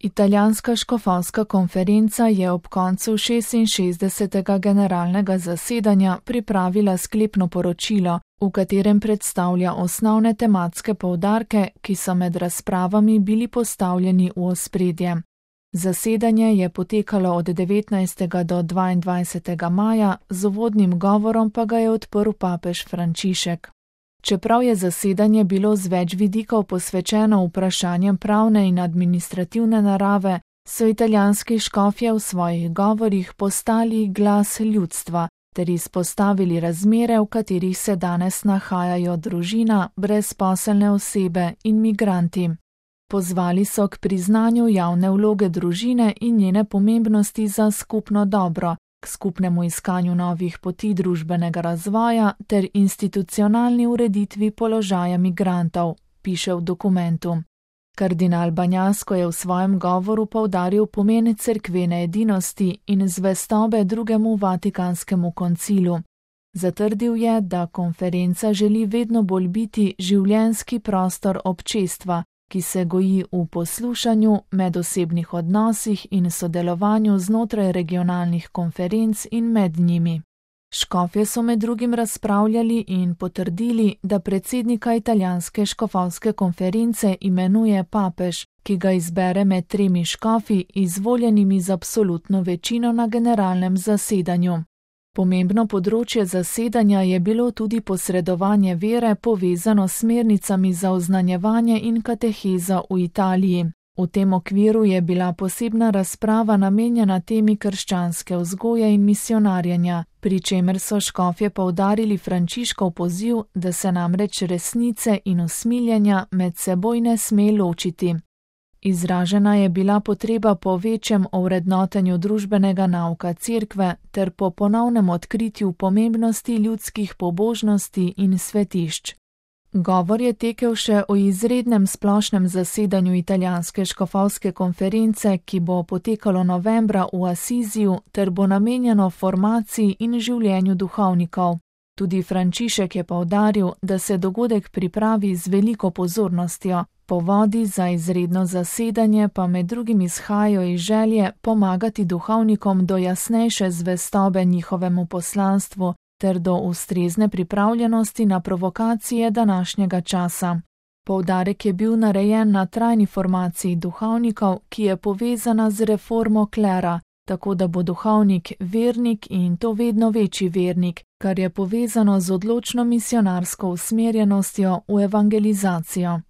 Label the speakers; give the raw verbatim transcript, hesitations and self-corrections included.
Speaker 1: Italijanska škofovska konferenca je ob koncu šestinšestdesetega generalnega zasedanja pripravila sklepno poročilo, v katerem predstavlja osnovne tematske poudarke, ki so med razpravami bili postavljeni v ospredje. Zasedanje je potekalo od devetnajstega do dvaindvajsetega maja, z uvodnim govorom pa ga je odprl papež Frančišek. Čeprav je zasedanje bilo z več vidikov posvečeno vprašanjem pravne in administrativne narave, so italijanski škofje v svojih govorih postali glas ljudstva ter izpostavili razmere, v katerih se danes nahajajo družina, brezposelne osebe in migranti. Pozvali so k priznanju javne vloge družine in njene pomembnosti za skupno dobro, k skupnemu iskanju novih poti družbenega razvoja ter institucionalni ureditvi položaja migrantov, piše v dokumentu. Kardinal Banjasko je v svojem govoru poudaril pomen cerkvene edinosti in zvestobe drugemu Vatikanskemu koncilu. Zatrdil je, da konferenca želi vedno bolj biti življenjski prostor občestva, ki se goji v poslušanju, medosebnih odnosih in sodelovanju znotraj regionalnih konferenc in med njimi. Škofje so med drugim razpravljali in potrdili, da predsednika italijanske škofovske konference imenuje papež, ki ga izbere med tremi škofi, izvoljenimi z absolutno večino na generalnem zasedanju. Pomembno področje zasedanja je bilo tudi posredovanje vere povezano s smernicami za oznanjevanje in katehezo v Italiji. V tem okviru je bila posebna razprava namenjena temi krščanske vzgoje in misionarjenja, pri čemer so škofje poudarili Frančiškov poziv, da se namreč resnice in usmiljenja med seboj ne sme ločiti. Izražena je bila potreba po večjem ovrednotenju družbenega nauka cerkve ter po ponovnem odkritju pomembnosti ljudskih pobožnosti in svetišč. Govor je tekel še o izrednem splošnem zasedanju italijanske škofovske konference, ki bo potekalo novembra v Asiziju ter bo namenjeno formaciji in življenju duhovnikov. Tudi Frančišek je poudaril, da se dogodek pripravi z veliko pozornostjo. Povodi za izredno zasedanje pa med drugim izhajajo iz želje pomagati duhovnikom do jasnejše zvestobe njihovemu poslanstvu ter do ustrezne pripravljenosti na provokacije današnjega časa. Poudarek je bil narejen na trajni formaciji duhovnikov, ki je povezana z reformo klera, tako da bo duhovnik vernik in to vedno večji vernik, kar je povezano z odločno misionarsko usmerjenostjo v evangelizacijo.